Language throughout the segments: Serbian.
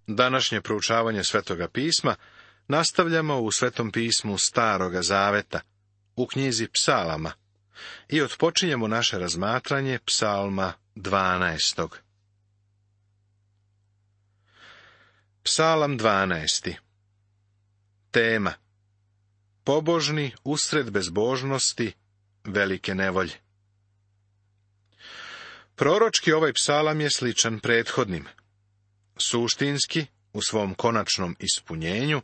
Današnje proučavanje Svetoga pisma nastavljamo u Svetom pismu Staroga zaveta, u knjizi Psalama, i otpočinjemo naše razmatranje Psalma 12. Psalam 12. Tema: Pobožni usred bezbožnosti, velike nevolje. Proročki ovaj psalam je sličan prethodnim. Suštinski, u svom konačnom ispunjenju,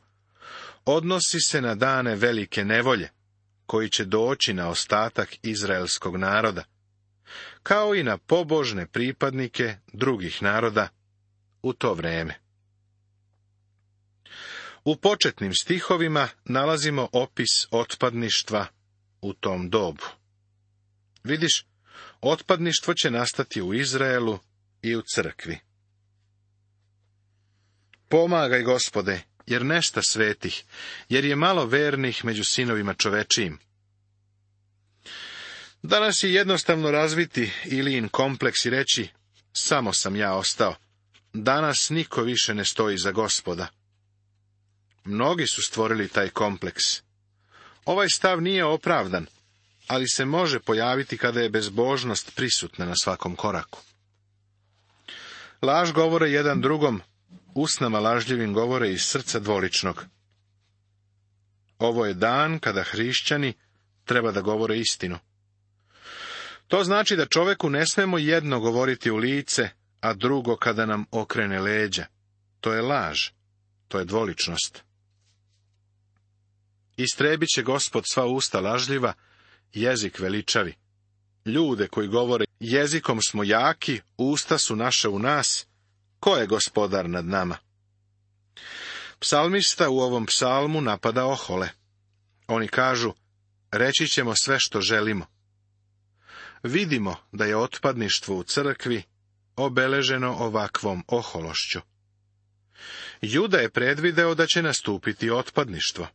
odnosi se na dane velike nevolje, koji će doći na ostatak izraelskog naroda, kao i na pobožne pripadnike drugih naroda u to vreme. U početnim stihovima nalazimo opis otpadništva u tom dobu. Vidiš, otpadništvo će nastati u Izraelu i u crkvi. Pomagaj, Gospode, jer nešta svetih, jer je malo vernih među sinovima čovečijim. Danas je jednostavno razviti Ilijin kompleks i reći: samo sam ja ostao. Danas niko više ne stoji za Gospoda. Mnogi su stvorili taj kompleks. Ovaj stav nije opravdan, ali se može pojaviti kada je bezbožnost prisutna na svakom koraku. Laž govore jedan drugom, usnama lažljivim govore iz srca dvoličnog. Ovo je dan kada hrišćani treba da govore istinu. To znači da čoveku ne smemo jedno govoriti u lice, a drugo kada nam okrene leđa. To je laž, to je dvoličnost. Istrebit će Gospod sva usta lažljiva, jezik veličavi. Ljude koji govore: jezikom smo jaki, usta su naše u nas, ko je gospodar nad nama? Psalmista u ovom psalmu napada ohole. Oni kažu: reći ćemo sve što želimo. Vidimo da je otpadništvo u crkvi obeleženo ovakvom ohološću. Juda je predvideo da će nastupiti otpadništvo.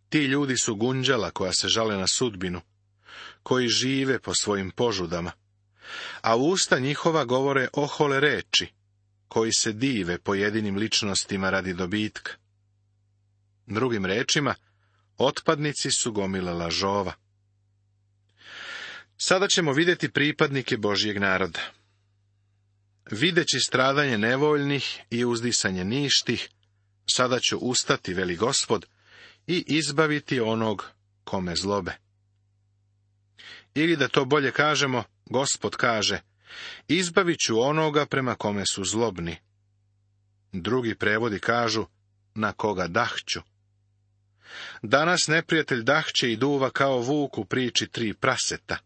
Ti ljudi su gunđala koja se žale na sudbinu, koji žive po svojim požudama, a usta njihova govore ohole reči, koji se dive pojedinim ličnostima radi dobitka. Drugim rečima, otpadnici su gomila lažova. Sada ćemo vidjeti pripadnike Božjeg naroda. Videći stradanje nevoljnih i uzdisanje ništih, sada ću ustati, veli Gospod, i izbaviti onog kome zlobe. Ili da to bolje kažemo, Gospod kaže: izbavit ću onoga prema kome su zlobni. Drugi prevodi kažu: na koga dahću. Danas neprijatelj dahće i duva kao vuk u priči 3 praseta.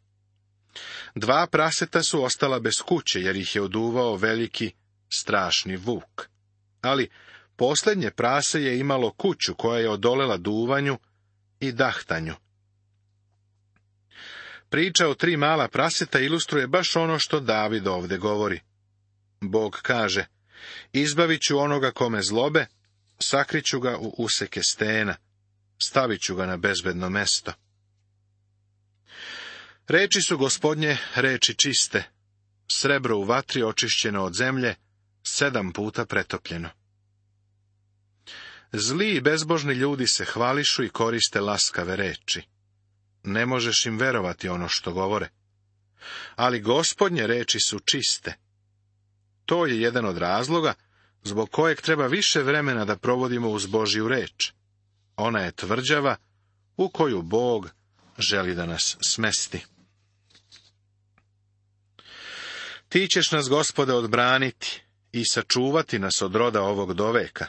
2 praseta su ostala bez kuće, jer ih je oduvao veliki, strašni vuk. Ali posljednje prase je imalo kuću koja je odolela duvanju i dahtanju. Priča o 3 mala praseta ilustruje baš ono što David ovdje govori. Bog kaže: izbavit ću onoga kome zlobe, sakriću ga u useke stena, stavit ću ga na bezbedno mesto. Reči su Gospodnje reči čiste, srebro u vatri očišćeno od zemlje, 7 puta pretopljeno. Zli i bezbožni ljudi se hvališu i koriste laskave reči. Ne možeš im verovati ono što govore. Ali Gospodnje reči su čiste. To je jedan od razloga zbog kojeg treba više vremena da provodimo uz Božju reč. Ona je tvrđava u koju Bog želi da nas smesti. Ti ćeš nas, Gospode, odbraniti i sačuvati nas od roda ovog doveka.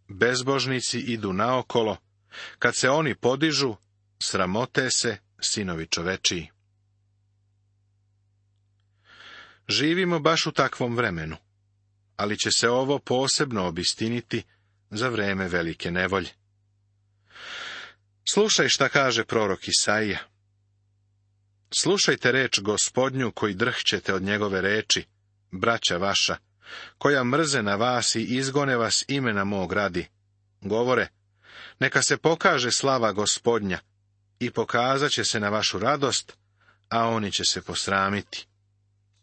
Bezbožnici idu naokolo, kad se oni podižu, sramote se sinovi čovečiji. Živimo baš u takvom vremenu, ali će se ovo posebno obistiniti za vreme velike nevolje. Slušaj šta kaže prorok Isaija. Slušajte reč Gospodnju koji drhćete od njegove reči, braća vaša, koja mrze na vas i izgone vas imena mog radi. Govore: neka se pokaže slava Gospodnja i pokazat će se na vašu radost, a oni će se posramiti.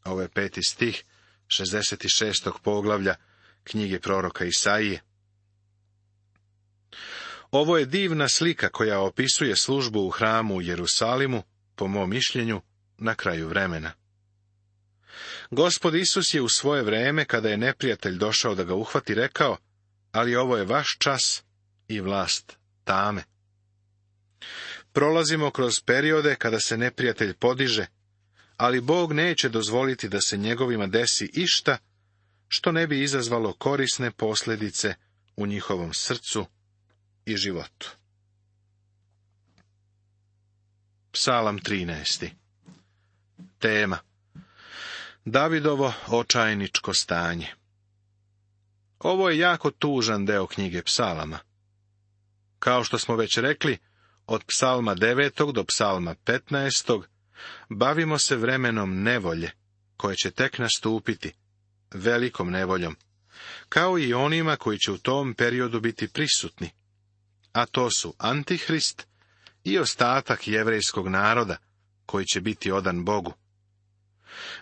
Ovo je 5. stih 66. poglavlja knjige proroka Isaije. Ovo je divna slika koja opisuje službu u hramu u Jerusalimu, po mom mišljenju, na kraju vremena. Gospod Isus je u svoje vreme, kada je neprijatelj došao da ga uhvati, rekao, ali ovo je vaš čas i vlast tame. Prolazimo kroz periode kada se neprijatelj podiže, ali Bog neće dozvoliti da se njegovima desi išta što ne bi izazvalo korisne posljedice u njihovom srcu i životu. Psalam 13. Tema: Davidovo očajničko stanje. Ovo je jako tužan deo knjige Psalama. Kao što smo već rekli, od Psalma 9. do Psalma 15. bavimo se vremenom nevolje, koje će tek nastupiti, velikom nevoljom, kao i onima koji će u tom periodu biti prisutni, a to su Antihrist i ostatak jevrejskog naroda, koji će biti odan Bogu.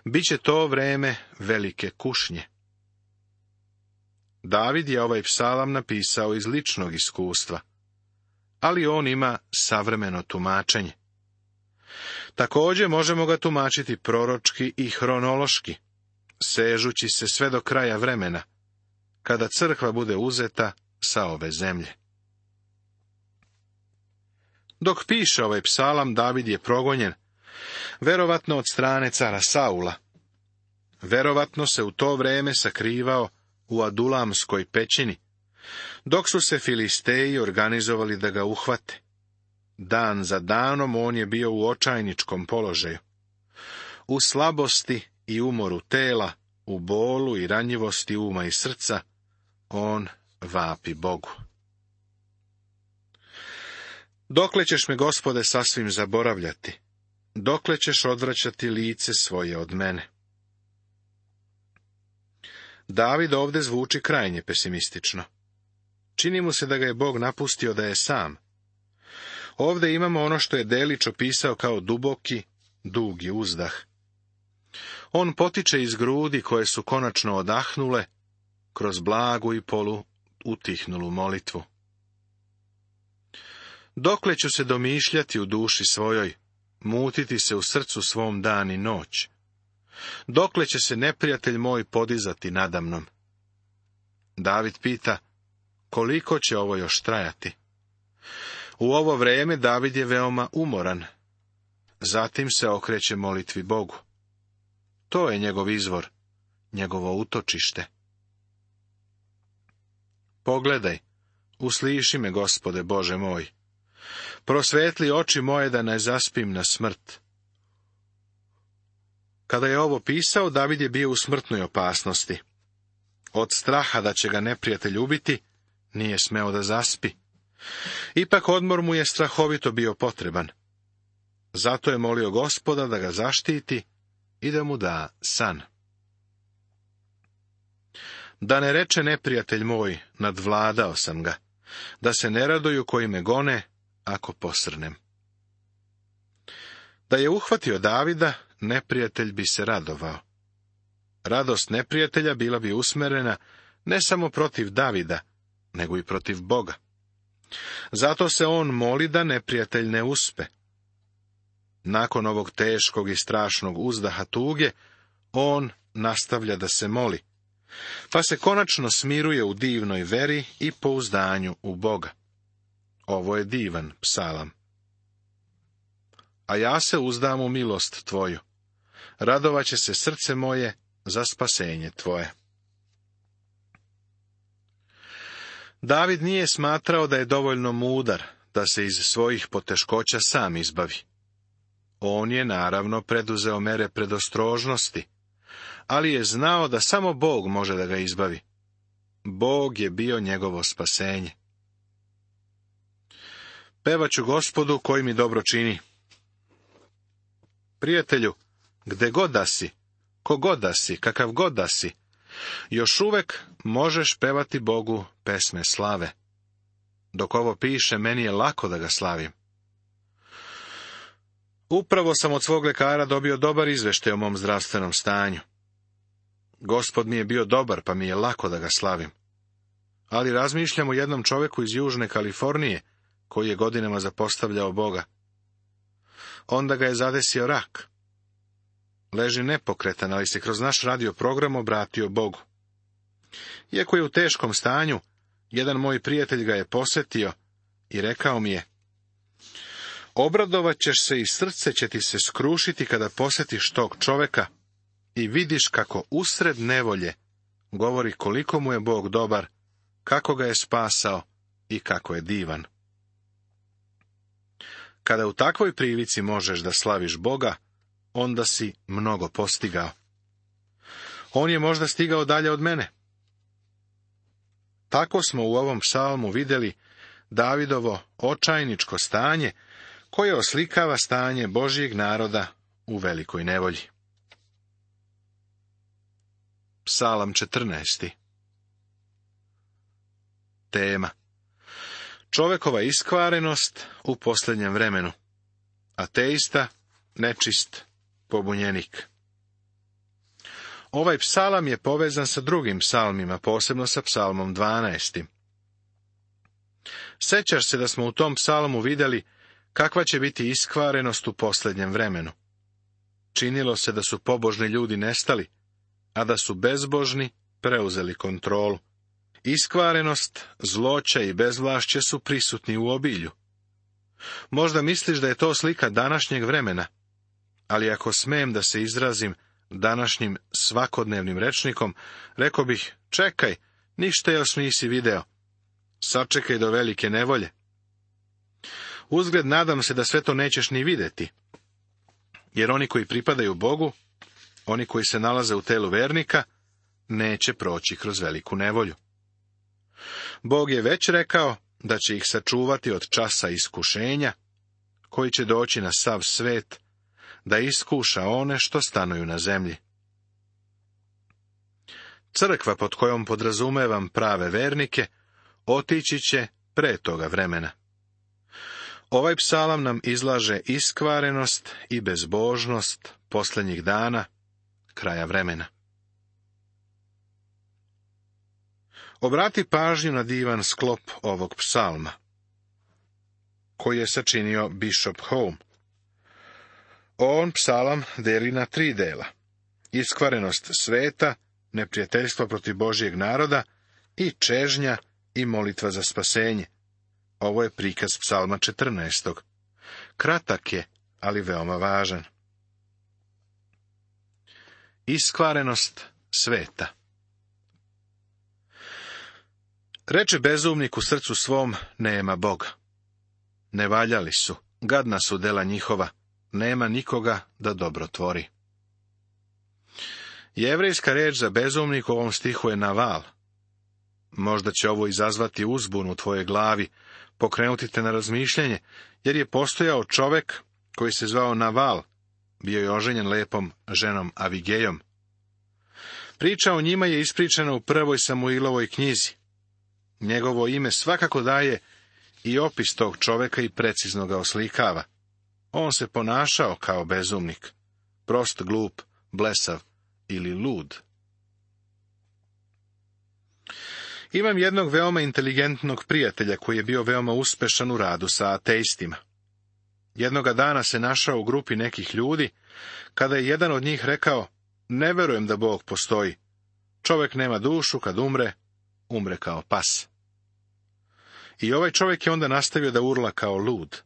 Biće to vreme velike kušnje. David je ovaj psalam napisao iz ličnog iskustva, ali on ima savremeno tumačenje. Također možemo ga tumačiti proročki i hronološki, sežući se sve do kraja vremena, kada crkva bude uzeta sa ove zemlje. Dok piše ovaj psalam, David je progonjen, verovatno od strane cara Saula. Verovatno se u to vrijeme sakrivao u Adulamskoj pećini, dok su se Filisteji organizovali da ga uhvate. Dan za danom on je bio u očajničkom položaju. U slabosti i umoru tela, u bolu i ranjivosti uma i srca, on vapi Bogu. Dokle ćeš me, Gospode, sasvim zaboravljati? Dokle ćeš odvraćati lice svoje od mene? David ovdje zvuči krajnje pesimistično. Čini mu se da ga je Bog napustio da je sam. Ovdje imamo ono što je Delić opisao kao duboki, dugi uzdah. On potiče iz grudi koje su konačno odahnule kroz blagu i polu utihnulu molitvu. Dokle ću se domišljati u duši svojoj, mutiti se u srcu svom dan i noć? Dokle će se neprijatelj moj podizati nadamnom? David pita, koliko će ovo još trajati? U ovo vrijeme David je veoma umoran. Zatim se okreće molitvi Bogu. To je njegov izvor, njegovo utočište. Pogledaj, usliši me, Gospode Bože moj. Prosvetli oči moje da ne zaspim na smrt. Kada je ovo pisao, David je bio u smrtnoj opasnosti. Od straha da će ga neprijatelj ubiti, nije smeo da zaspi. Ipak odmor mu je strahovito bio potreban. Zato je molio Gospoda da ga zaštiti i da mu da san. Da ne reče neprijatelj moj, nadvladao sam ga, da se ne raduju koji me gone, ako posrnem. Da je uhvatio Davida, neprijatelj bi se radovao. Radost neprijatelja bila bi usmerena ne samo protiv Davida, nego i protiv Boga. Zato se on moli da neprijatelj ne uspe. Nakon ovog teškog i strašnog uzdaha tuge, on nastavlja da se moli, pa se konačno smiruje u divnoj veri i pouzdanju u Boga. Ovo je divan psalam. A ja se uzdam u milost tvoju. Radovaće se srce moje za spasenje tvoje. David nije smatrao da je dovoljno mudar da se iz svojih poteškoća sam izbavi. On je naravno preduzeo mere predostrožnosti, ali je znao da samo Bog može da ga izbavi. Bog je bio njegovo spasenje. Pevaću Gospodu koji mi dobro čini. Prijatelju, gde god da si, kogod da si, kakav god da si, još uvek možeš pevati Bogu pesme slave. Dok ovo piše, meni je lako da ga slavim. Upravo sam od svog lekara dobio dobar izveštaj o mom zdravstvenom stanju. Gospod mi je bio dobar, pa mi je lako da ga slavim. Ali razmišljam o jednom čoveku iz Južne Kalifornije, koji je godinama zapostavljao Boga. Onda ga je zadesio rak. Leži nepokretan, ali se kroz naš radio program obratio Bogu. Iako je u teškom stanju, jedan moj prijatelj ga je posetio i rekao mi je: obradovat ćeš se i srce će ti se skrušiti kada posjetiš tog čoveka i vidiš kako usred nevolje govori koliko mu je Bog dobar, kako ga je spasao i kako je divan. Kada u takvoj prilici možeš da slaviš Boga, onda si mnogo postigao. On je možda stigao dalje od mene. Tako smo u ovom psalmu vidjeli Davidovo očajničko stanje, koje oslikava stanje Božjeg naroda u velikoj nevolji. Psalam 14. Tema: čovekova iskvarenost u posljednjem vremenu. Ateista, nečist, pobunjenik. Ovaj psalam je povezan sa drugim psalmima, posebno sa psalmom 12. Sećaš se da smo u tom psalmu vidjeli kakva će biti iskvarenost u posljednjem vremenu. Činilo se da su pobožni ljudi nestali, a da su bezbožni preuzeli kontrolu. Iskvarenost, zloća i bezvlašće su prisutni u obilju. Možda misliš da je to slika današnjeg vremena, ali ako smem da se izrazim današnjim svakodnevnim rečnikom, rekao bih: čekaj, ništa još nisi video. Sačekaj do velike nevolje. Uzgled nadam se da sve to nećeš ni vidjeti, jer oni koji pripadaju Bogu, oni koji se nalaze u telu vernika, neće proći kroz veliku nevolju. Bog je već rekao da će ih sačuvati od časa iskušenja, koji će doći na sav svet, da iskuša one što stanuju na zemlji. Crkva, pod kojom podrazumevam prave vernike, otići će pre toga vremena. Ovaj psalam nam izlaže iskvarenost i bezbožnost posljednjih dana, kraja vremena. Obrati pažnju na divan sklop ovog psalma, koji je sačinio Bishop Home. On psalam deli na 3 dela: iskvarenost sveta, neprijateljstvo protiv Božjeg naroda i čežnja i molitva za spasenje. Ovo je prikaz psalma 14. Kratak je, ali veoma važan. Iskvarenost sveta. Reče bezumnik u srcu svom: nema Boga. Ne valjali su, gadna su dela njihova, nema nikoga da dobro tvori. Jevrejska riječ za bezumnik u ovom stihu je naval. Možda će ovo izazvati uzbunu u tvojoj glavi, pokrenuti te na razmišljanje, jer je postojao čovek koji se zvao Naval, bio je oženjen lepom ženom Avigejom. Priča o njima je ispričana u 1. Samuilovoj knjizi. Njegovo ime svakako daje i opis tog čoveka i precizno ga oslikava. On se ponašao kao bezumnik, prost, glup, blesav ili lud. Imam jednog veoma inteligentnog prijatelja koji je bio veoma uspešan u radu sa ateistima. Jednoga dana se našao u grupi nekih ljudi, kada je jedan od njih rekao: ne verujem da Bog postoji. Čovjek nema dušu, kad umre, umre kao pas. I ovaj čovjek je onda nastavio da urla kao lud.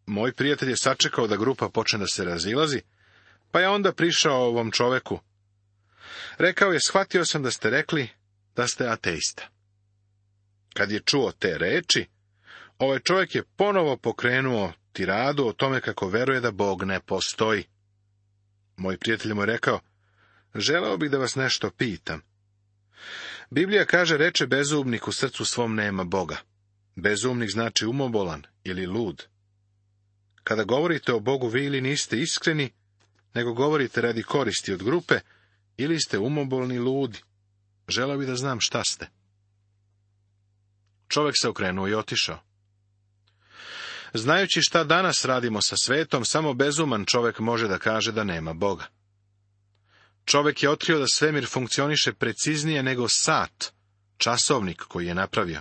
Moj prijatelj je sačekao da grupa počne da se razilazi, pa je onda prišao ovom čoveku. Rekao je: shvatio sam da ste rekli da ste ateista. Kad je čuo te reči, ovaj čovjek je ponovo pokrenuo tiradu o tome kako veruje da Bog ne postoji. Moj prijatelj mu je rekao: želeo bih da vas nešto pitam. Biblija kaže: reče bezumnik u srcu svom nema Boga. Bezumnik znači umobolan ili lud. Kada govorite o Bogu, vi ili niste iskreni, nego govorite radi koristi od grupe, ili ste umobolni ludi. Želeo bih da znam šta ste. Čovjek se okrenuo i otišao. Znajući šta danas radimo sa svetom, samo bezuman čovjek može da kaže da nema Boga. Čovek je otkrio da svemir funkcioniše preciznije nego sat, časovnik koji je napravio.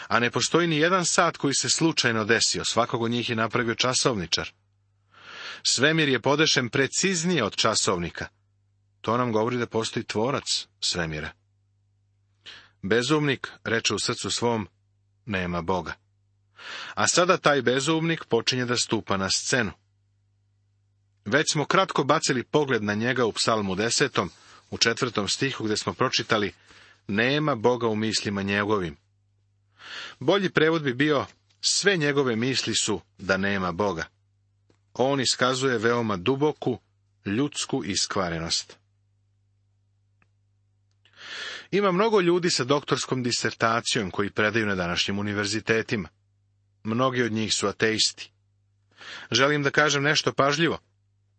A ne postoji ni jedan sat koji se slučajno desio, svakog od njih je napravio časovničar. Svemir je podešen preciznije od časovnika. To nam govori da postoji tvorac svemira. Bezumnik reče u srcu svom, nema Boga. A sada taj bezumnik počinje da stupa na scenu. Već smo kratko bacili pogled na njega u Psalmu 10, u 4. stihu, gdje smo pročitali, nema Boga u mislima njegovim. Bolji prevod bi bio, sve njegove misli su da nema Boga. On iskazuje veoma duboku, ljudsku iskvarenost. Ima mnogo ljudi sa doktorskom disertacijom koji predaju na današnjim univerzitetima. Mnogi od njih su ateisti. Želim da kažem nešto pažljivo.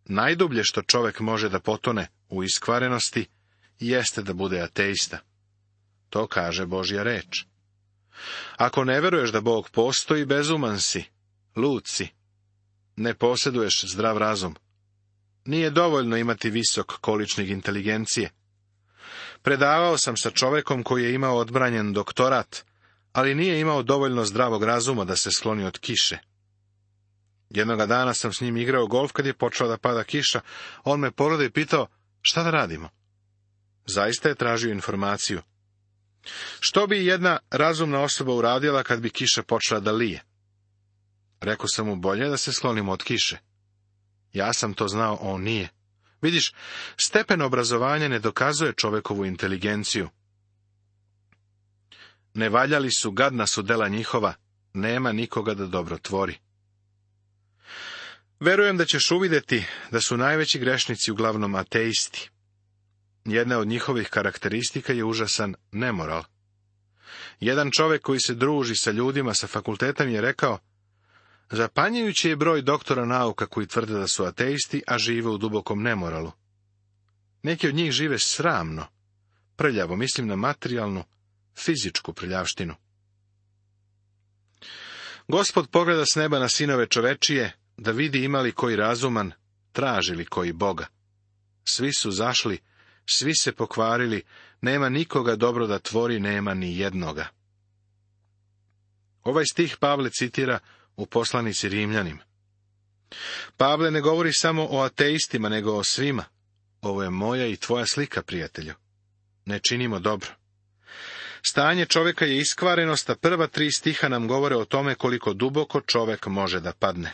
Najdublje što čovek može da potone u iskvarenosti jeste da bude ateista. To kaže Božja reč. Ako ne veruješ da Bog postoji, bezuman si, lud si. Ne posjeduješ zdrav razum. Nije dovoljno imati visok količnik inteligencije. Predavao sam sa čovekom koji je imao odbranjen doktorat, ali nije imao dovoljno zdravog razuma da se skloni od kiše. Jednoga dana sam s njim igrao golf kad je počela da pada kiša. On me pogledao i pitao, šta da radimo? Zaista je tražio informaciju. Što bi jedna razumna osoba uradila kad bi kiša počela da lije? Rekao sam mu, bolje da se sklonimo od kiše. Ja sam to znao, on nije. Vidiš, stepen obrazovanja ne dokazuje čovekovu inteligenciju. Ne valjali su, gadna su dela njihova, nema nikoga da dobro tvori. Verujem da ćeš uvidjeti da su najveći grešnici uglavnom ateisti. Jedna od njihovih karakteristika je užasan nemoral. Jedan čovjek koji se druži sa ljudima sa fakultetom je rekao, zapanjujući je broj doktora nauka koji tvrde da su ateisti, a žive u dubokom nemoralu. Neki od njih žive sramno, prljavo, mislim na materijalnu, fizičku prljavštinu. Gospod pogleda s neba na sinove čovečije, da vidi ima li koji razuman, traži li koji Boga. Svi su zašli, svi se pokvarili, nema nikoga dobro da tvori, nema ni jednoga. Ovaj stih Pavle citira u poslanici Rimljanima. Pavle ne govori samo o ateistima, nego o svima. Ovo je moja i tvoja slika, prijatelju. Ne činimo dobro. Stanje čovjeka je iskvarenost, a prva 3 stiha nam govore o tome koliko duboko čovjek može da padne.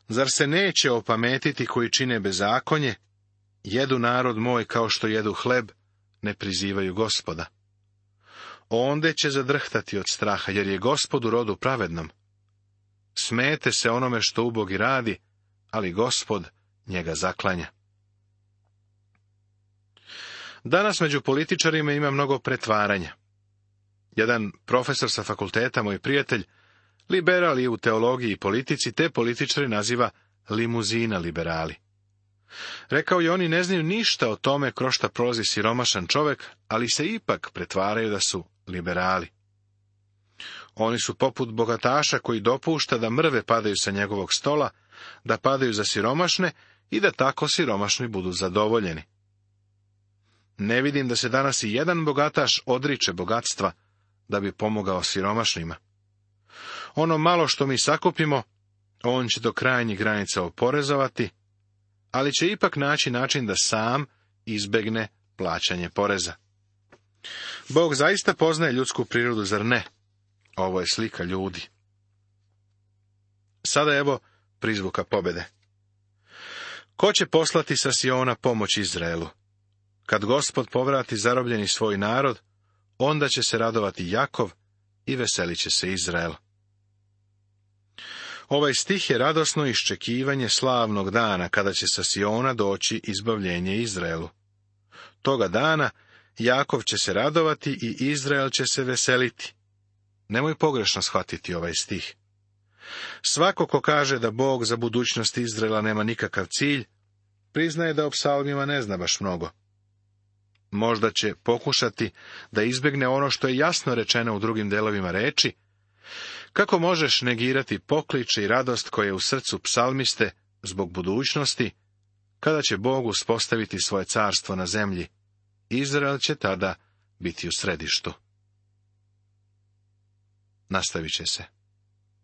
Zar se neće opametiti koji čine bezakonje, jedu narod moj kao što jedu hleb, ne prizivaju Gospoda. Onde će zadrhtati od straha, jer je Gospod u rodu pravednom. Smete se onome što ubogi radi, ali Gospod njega zaklanja. Danas među političarima ima mnogo pretvaranja. Jedan profesor sa fakulteta, moj prijatelj, liberal i u teologiji i politici, te političari naziva limuzina liberali. Rekao je, oni ne znaju ništa o tome kroz šta prolazi siromašan čovjek, ali se ipak pretvaraju da su liberali. Oni su poput bogataša koji dopušta da mrve padaju sa njegovog stola, da padaju za siromašne i da tako siromašni budu zadovoljeni. Ne vidim da se danas i jedan bogataš odriče bogatstva da bi pomogao siromašnima. Ono malo što mi sakupimo, on će do krajnjih granica oporezovati, ali će ipak naći način da sam izbegne plaćanje poreza. Bog zaista poznaje ljudsku prirodu, zar ne? Ovo je slika ljudi. Sada evo prizvuka pobjede. Ko će poslati sa Siona pomoć Izraelu? Kad Gospod povrati zarobljeni svoj narod, onda će se radovati Jakov i veselit će se Izrael. Ovaj stih je radosno iščekivanje slavnog dana, kada će sa Siona doći izbavljenje Izraelu. Toga dana Jakov će se radovati i Izrael će se veseliti. Nemoj pogrešno shvatiti ovaj stih. Svako ko kaže da Bog za budućnost Izraela nema nikakav cilj, priznaje da o psalmima ne zna baš mnogo. Možda će pokušati da izbjegne ono što je jasno rečeno u drugim delovima reči. Kako možeš negirati pokliče i radost koje je u srcu psalmiste zbog budućnosti, kada će Bog uspostaviti svoje carstvo na zemlji. Izrael će tada biti u središtu. Nastavit će se.